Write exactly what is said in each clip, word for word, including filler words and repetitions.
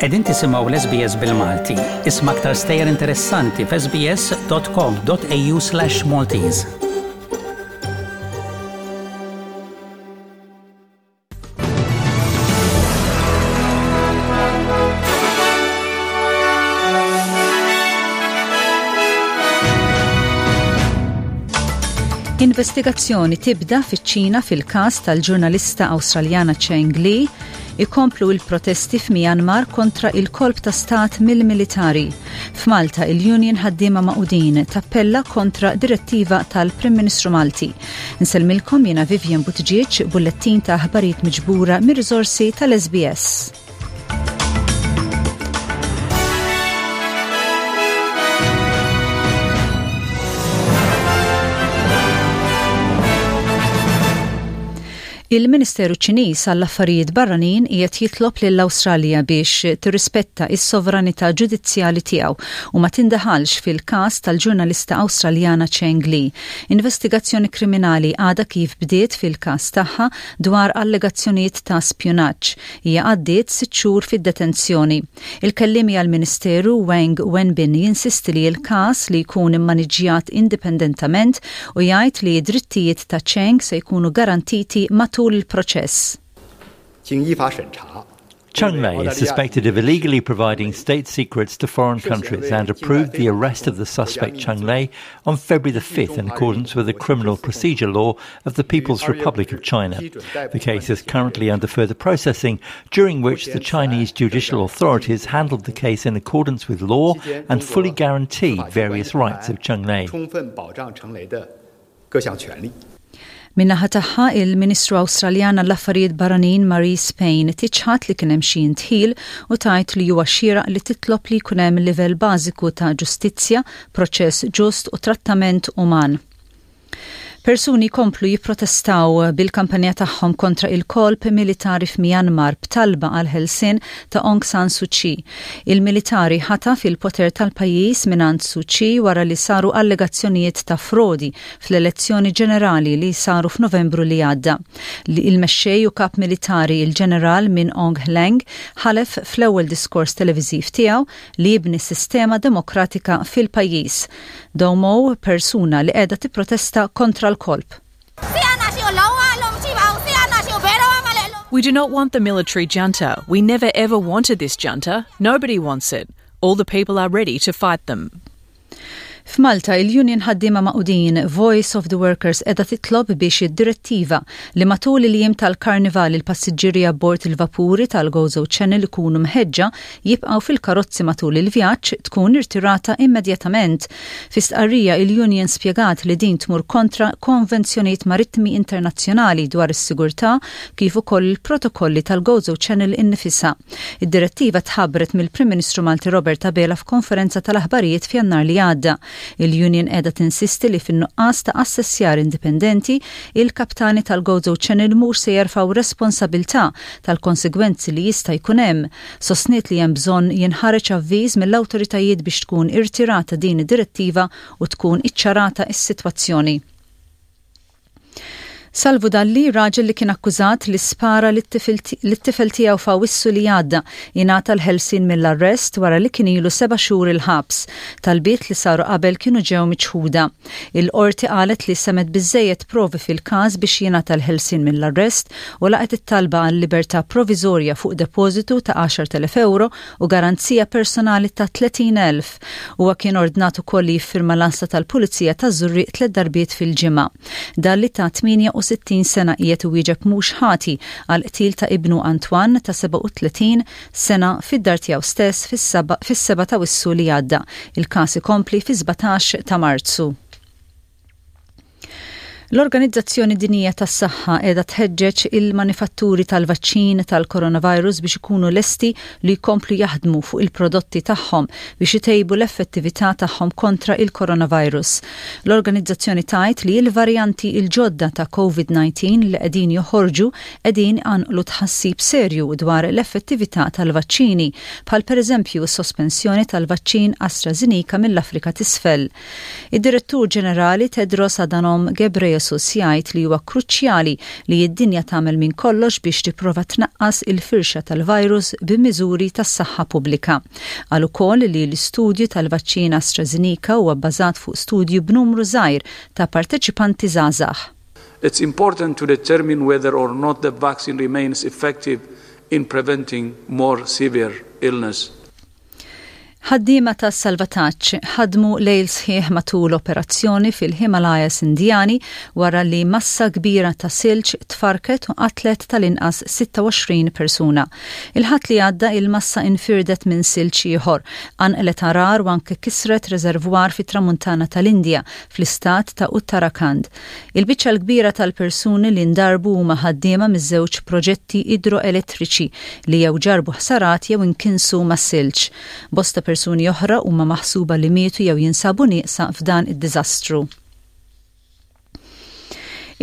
Qegħdin tisimgħu l-S B S bil-Malti. Isma' aktar stejjer interessanti f'S B S dot com dot A U slash Maltese. Investigazzjoni tibda fiċ-Ċina fil-każ tal-ġurnalista Awstraljana Cheng Li, ikomplu il-protesti f'Myanmar kontra il-kolp ta' stat mill-militari. F'Malta, il-Union Ħaddiema Magħqudin tappella kontra direttiva tal-Prim Ministru Malti. Nsellmilkom jiena Vivian Buttigieg, bullettin ta' aħbarijiet miġbura mir-riżorsi tal-S B S. Il-Ministeru Ċiniż għall-Affarijiet Barranin qiegħed jitlob lill-Awstralja biex tirrispetta is-sovranità ġudizzjali tiegħu u ma tindaħalx fil-każ tal-ġurnalista Awstraljana Cheng Li. Investigazzjoni kriminali għadha kif bdiet fil-każ tagħha dwar allegazzjonijiet ta' spjunaġġ. Hija għaddiet sitt xhur fid-detenzjoni. Il-kellimi għall-Ministeru Wang Wenbin jinsisti li l-każ li jkun immaniġjat indipendentament u jgħid li drittijiet ta' Cheng se jkunu garantiti matul il-proċess. 经依法审查。 Cheng Lei is suspected of illegally providing state secrets to foreign countries and approved the arrest of the suspect, Cheng Lei, on February the fifth in accordance with the Criminal Procedure Law of the People's Republic of China. The case is currently under further processing, during which the Chinese judicial authorities handled the case in accordance with law and fully guarantee various rights of Cheng Lei. 充分保障程雷的各项权利。 Min-naħa tagħha, il-Ministru Awstraljana l-Affarijiet Barranin Marise Payne tiċħad li kien hemm xi indħil u tgħid li huwa xieraq li titlob li jkun hemm livell bażiku ta' ġustizzja, proċess ġust u trattament uman. Persuni komplu jipprotestaw bil-kampanja tagħhom kontra il-kolp militari f'Myanmar b'talba għal ħelsien ta' Aung San Suu Kyi. Il-militari ħataf il-poter tal-pajjiż mingħand Suu Kyi wara li saru allegazzjonijiet ta' frodi fl-elezzjoni ġenerali li saru f'Novembru li għadda. Li il-mexxej u kap militari, il-ġeneral Min Aung Hlaing, ħalef fl-ewwel diskors televiżiv tiegħu li jibni sistema demokratika fil-pajjiż. Daw Moe, persuna li qiegħda tipprotesta kontra l-kolp. We do not want the military junta. We never ever wanted this junta. Nobody wants it. All the people are ready to fight them. F'Malta, il-Union Ħaddiema Magħqudin Voice of the Workers qiegħda titlob biex id-direttiva li matul il-jiem tal-karnival il-passiġġieri abbord il-vapuri tal-Gozo Channel ikunu mħeġġa jibqgħu fil-karozzi matul il-vjaġġ tkun irtirata immedjatament. Fi stqarrija, il-Union spjegat li din tmur kontra konvenzjonijiet marittimi internazzjonali dwar is-sigurtà kif ukoll il-protokolli tal-Gozo Channel innifisha. Id-direttiva tħabbret mill-Prim Ministru Malti Robert Abela f'konferenza tal-aħbarijiet f'Jannar li għadda. Il-Union qiegħda tinsisti li fin-nuqqas ta' assessjar indipendenti, il-kaptani tal-Gozo Channel mhux se jerfgħu responsabilità tal-konsegwenzi li jista' jkun hemm. Sostniet li hemm bżonn jinħareġ avviż mill-awtoritajiet biex tkun irtirata din id-direttiva u tkun iċċarata is-sitwazzjoni. Salvu Dalli, raġel li kien akkużat li spara lit-tifel tiegħu f'Awissu li għadda, ingħata l-ħelsien mill-arrest wara li kien ilu seba' xhur il-ħabs. Talbiet li saru qabel kienu ġew miċħuda. Il-qorti qalet li semgħet biżejjed provi fil-każ biex jingħata l-ħelsien mill-arrest u laqgħet it-talba għal libertà proviżorja fuq depożitu ta' għaxart elef euro u garanzija personali ta' tletin elf. Huwa kien ordnat ukoll li jiffirma l-għassa tal-Pulizija ta' Żurrieq tliet darbiet fil-ġimgħa. Dalli ta' tmienja u sittin sena qiegħed iwieġeb mhux ħati għal qtil ta' ibnu Antoine ta' sebgħa u tletin sena fid-dar tiegħu stess fis-seba' ta' Awwissu li għadda. Il-każ ikompli fi sbatax ta' Marzu. L-Organizzazzjoni Dinjija tas-Saħħa qiegħda tħeġġeġ il-manifatturi tal-vaċċin tal-coronavirus biex ikunu lesti li jkomplu jaħdmu fuq il-prodotti tagħhom biex itejbu l-effettività tagħhom kontra il-coronavirus. L-organizzazzjoni tgħid li l-varjanti il-ġodda ta' COVID disa li qegħdin joħorġu qegħdin iqanqlu tħassib serju dwar l-effettività tal-vaċċini, bħal pereżempju s-sospensjoni tal-vaċċin AstraZeneca mill-Afrika t'Isfel. Id-Direttur Ġenerali Tedros Adhanom Ghebreyesus Ghebreyesus jgħid li huwa kruċjali li d-dinja tagħmel minn kollox biex tipprova tnaqqas il-firxa tal-virus b'miżuri tas-saħħa pubblika. Qal ukoll li l-istudju tal-vaċċin AstraZeneca huwa bbażat fuq studju b'numru żgħir ta' parteċipanti żgħażagħ. It's important to determine whether or not the vaccine remains effective in preventing more severe illness. Ħaddiema ta' salvataġġ ħadmu lejl sħiħ matul operazzjoni fil-Himalayas Indjani wara li massa kbira ta' silġ tfarket u qatlet tal-inqas sitta u għoxrin persuna. Il-Ħadd li għadda, il-massa infirdet minn silġ ieħor, qanqlet għargħar u anke kisret rezervwar fit-tramuntana tal-Indja fl-istat ta' Uttarakhand. Il-biċċa l-kbira tal-persuni li ndarbu huma ħaddiema miż-żewġ proġetti idroelettriċi li jew ġarbu ħsarat jew inkinsu mas-silġ. Bosta persuni oħra huma maħsuba li mietu jew jinsabu nieqsa f'dan id-diżastru.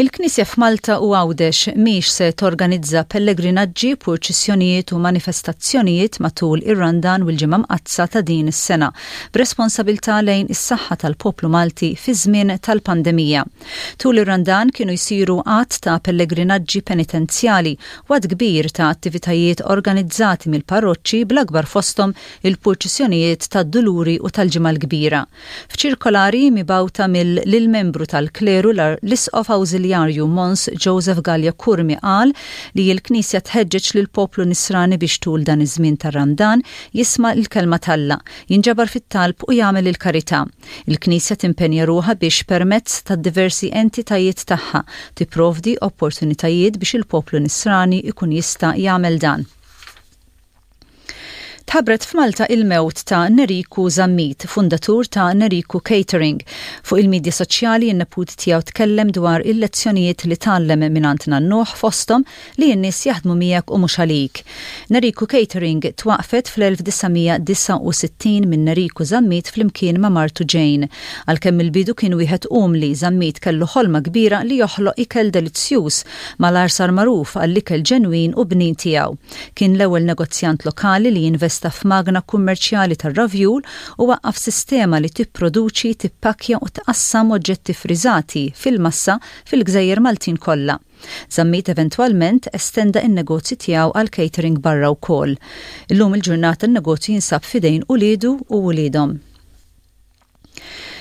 Il-Knisja f'Malta u Għawdex mhix se torganizza pellegrinaġġi, purċissjonijiet u manifestazzjonijiet matul ir-Randan u l-Ġimgħa Mqaddsa ta' din is-sena, b'responsabilità lejn is-saħħa tal-poplu Malti fi żmien tal-pandemija. Tul ir-Randan kienu jsiru għadd ta' pellegrinaġġi penitenzjali u għadd kbir ta' attivitajiet organizzati mill-parroċċi, bl-akbar fosthom il-purċissjonijiet tad-Duluri u tal-Ġimgħa l-Kbira. F'ċirkolari mibgħuta mill-membru tal-kleru, l-Isqof Awżiljarju Mons Joseph Galea Curmi qal li l-Knisja tħeġġeġ lil poplu nisrani biex tul dan iż-żmien tar-Randan jisma' l-kelma t'Alla, jinġabar fit-talb u jagħmel il-karità. Il-Knisja timpenja ruħha biex permezz ta' diversi entitajiet tagħha tipprovdi opportunitajiet biex il-poplu nisrani ikun jista' jagħmel dan. Tħabbret f'Malta il-mewt ta' Neriku Zammit, fundatur ta' Neriku Catering. Fuq il-medja soċjali, in-neput tiegħu tkellem dwar il-lezzjonijiet li tgħallem mingħand nannuh, fosthom li n-nies jaħdmu miegħek u mhux għalik. Neriku Catering twaqfet fl-elf disa' mija disgħa u sittin minn Neriku Zammit flimkien ma' martu Jane. Għalkemm il-bidu kien wieħed umli, Zammit kellu ħolma kbira li joħloq ikel delizzjuż. Malajr sar magħruf għall-ikel ġenwin u bnin tiegħu. Kien l-ewwel negozjant lokali li jinvesta f'magna kummerċjali tar-ravjul u waqqaf sistema li tipproduċi, tippakja u tqassam oġġetti friżati fil-massa fil-Gżejjer Maltin kollha. Zammit eventwalment estenda in-negozju tiegħu għal catering barra wkoll. Illum il-ġurnata n-negozju jinsab f'idejn uliedu u uliedhom.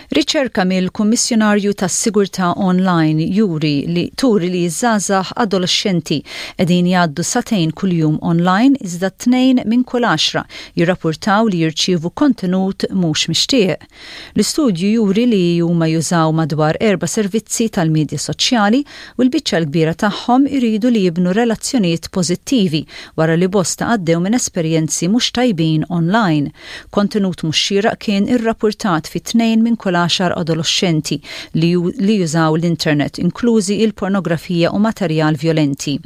Riċerka mill-Kummissjonarju tas-Sigurtà Online juri li turi li żgħażagħ adolescenti qegħdin jgħaddu sagħtejn kuljum online, iżda tnejn minn kull għaxra jirrapportaw li jirċievu kontenut mhux mixtieq. L-istudju juri li huma jużaw madwar erba' servizzi tal-medja soċjali u l-biċċa l-kbira tagħhom iridu li jibnu relazzjonijiet pożittivi wara li bosta għaddew minn esperjenzi mhux tajbin online. Kontenut mhux xieraq kien irrapportat fi tnejn minn kull għaxar adolescenti li, li jużaw l-internet, inklużi il-pornografija u materjal violenti.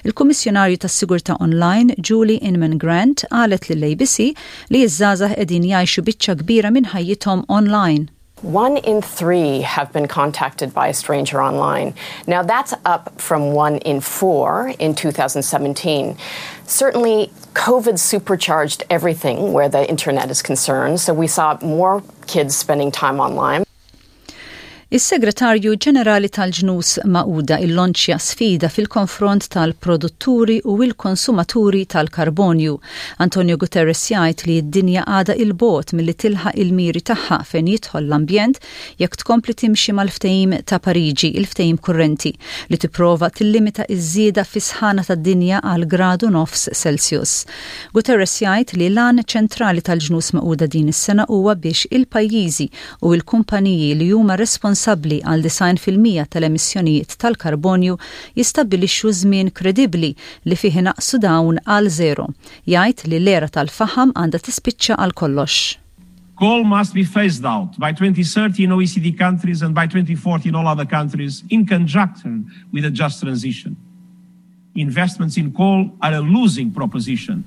Il-Kummissjonarju tas-Sigurtà Online Julie Inman Grant qalet lill-A B C li ż-żgħażagħ qegħdin jgħixu biċċa kbira minn ħajjithom online. One in three have been contacted by a stranger online. Now, that's up from one in four in twenty seventeen. Certainly, COVID supercharged everything where the internet is concerned, so we saw more kids spending time online. Is-Segretarju Ġenerali tal-Ġnus Magħquda illonċja sfida fil-konfront tal-produtturi u il-konsumaturi tal-karbonju. Antonio Guterres jgħid li d-dinja għada 'il bogħod milli tilħaq il-miri tagħha fejn jidħol l-ambjent jekk tkompli timxi mal-ftehim ta' Pariġi, il-ftehim kurrenti li tipprova tillimita iż-żieda fis-sħana tad-dinja għal gradu nofs Celsius. Guterres jgħid li l-għan ċentrali tal-Ġnus Magħquda din is-sena huwa biex il-pajjiżi u il-kumpaniji li huma responsabbli responsabbli għal disgħin fil-mija tal-emissjonijiet tal-karbonju jistabbilixxu żmien kredibbli li fih inaqqsu dawn għal zero. Jgħid li l-era tal-faħam għandha tispiċċa għal kollox. Coal must be phased out by twenty thirty in O E C D countries and by twenty forty in all other countries in conjunction with a just transition. Investments in coal are a losing proposition.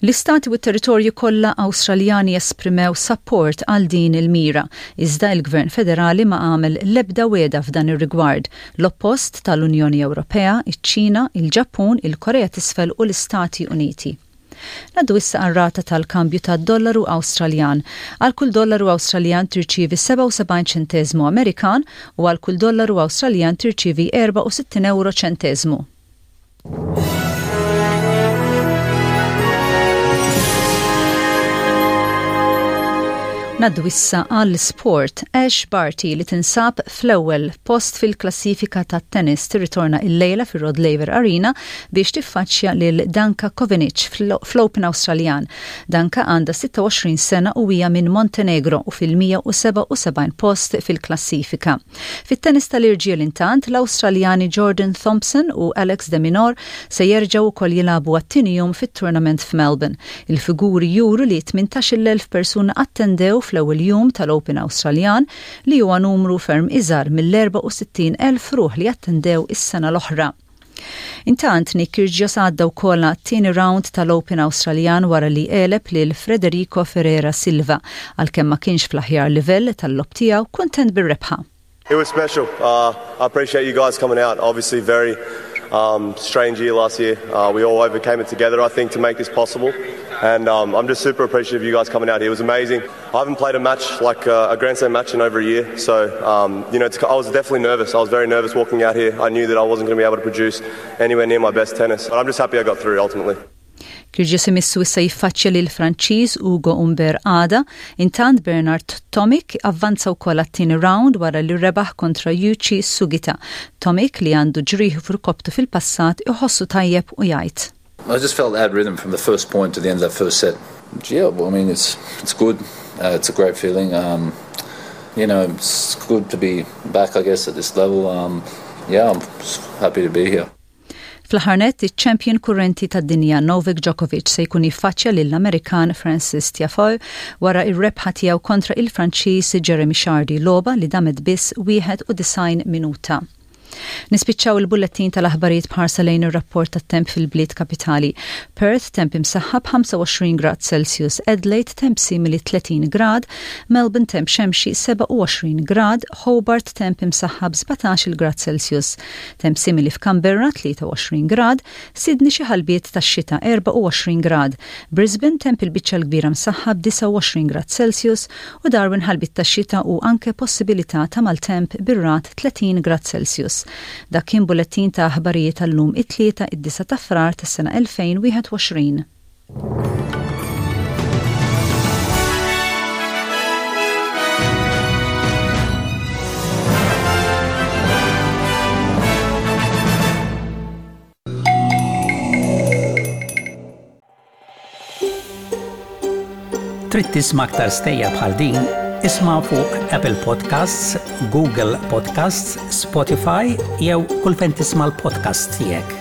L-istati u t-territorju kollha Awstraljani esprimew support għal din il-mira, iżda il-Gvern Federali ma għamel l-ebda wegħda f'dan ir-rigward, l-oppost tal-Unjoni Ewropea, iċ-Ċina, il-Ġappun, il-Korea t'Isfel u l-Istati Uniti. Ngħaddu issa għar-rata tal-kambju tad-dollaru Awstraljan. Għal kull dollaru Awstraljan tirċievi sebgħa u sebgħin ċentesmu Amerikan u għal kull dollaru Awstraljan tirċievi erbgħa u sittin euro ċentesmu. Ngħaddu issa għall sport. Ash Barty, li tinsab fl-ewwel post fil-klassifika tat-tennis, tirritorna il-lejla fir-Rod Laver Arena biex tiffaċċja lil Danka Kovinic fl-Open Awstraljan. Danka għandha sitta u għoxrin sena u hija minn Montenegro u fil-mija u sebgħa u sebgħin post fil-klassifika. Fit-tennis tal-irġiel, intant, l-Awstraljani Jordan Thompson u Alex de Minaur se jerġgħu wkoll jilagħbu għat-tieni jum fit-tournament f'Melbourne. Il-figuri juru li tmintax-il elf persuna attendew fl-ewwel jum tal-Open Awstraljan, li huwa numru ferm iżgħar mill-erbgħa u sittin elf ruħ li attendew is-sena l-oħra. Intant, Nick Kyrgios għadda wkoll għat-tieni round tal-Open Awstraljan wara li għeleb lil Federico Ferreira Silva. Għalkemm ma kienx fl-aħjar livell tal-logħob tiegħu, kuntent bir-rebħa. It was special. Uh, I appreciate you guys coming out. Obviously, very um, strange year last year. Uh, we all overcame it together, I think, to make this possible. And um, I'm just super appreciative of you guys coming out here. It was amazing. I haven't played a match like uh, a Grand Slam match in over a year, so um, you know, I was definitely nervous. I was very nervous walking out here. I knew that I wasn't going to be able to produce anywhere near my best tennis, but I'm just happy I got through ultimately. Kyrgios imissu issa jiffaċċja lil Franċiż Ugo Humbert għada. Intant, Bernard Tomic avvanza wkoll għat-tieni round wara li rebaħ kontra Yuichi Sugita. Tomic, li għandu ġrieħi f'irkopptu fil-passat, iħossu tajjeb u jgħid: I just felt I had rhythm from the first point to the end of that first set. Yeah, well, I mean, it's it's good. Uh, it's a great feeling. Um, you know, it's good to be back, I guess, at this level. Um, yeah, I'm happy to be here. Fl-aħħar nett, iċ-champion kurrenti tad-dinja Novak Djokovic se jkun jiffaċċja lill-Amerikan Francis Tiafoe wara ir-rebħa tiegħu kontra il-Franċiż Jeremy Chardy, logħba li damet biss wieħed u disgħin minuta. Nispiċċaw il-bullettin tal-aħbarijiet b'ħarsa lejn ir-rapport tat-temp fil-bliet kapitali. Perth, temp imsaħħab ħamsa u għoxrin grad Celsius, Adelaide temp simili tletin grad, Melbourne temp xemxi sebgħa u għoxrin grad, Hobart temp imsaħħab sbatax-il grad Celsius, temp simili f'Canberra tlieta u għoxrin grad, Sydney xi ħalbiet tax-xita erbgħa u għoxrin grad, Brisbane temp il-biċċa l-kbira msaħħab disgħa u għoxrin grad Celsius u Darwin ħalbiet tax-xita u anke possibilità ta' maltemp bir-ragħad tletin grad Celsius. Dak kien bullettin ta' aħbarijiet tal-lum, it-Tlieta, id-disgħa ta' Frar tas-sena elfejn u wieħed u għoxrin. Trid tisma' aktar stejjer bħal din? Isma' fuq Apple Podcasts, Google Podcasts, Spotify jew kull fejn tisma' l-podcast tiegħek.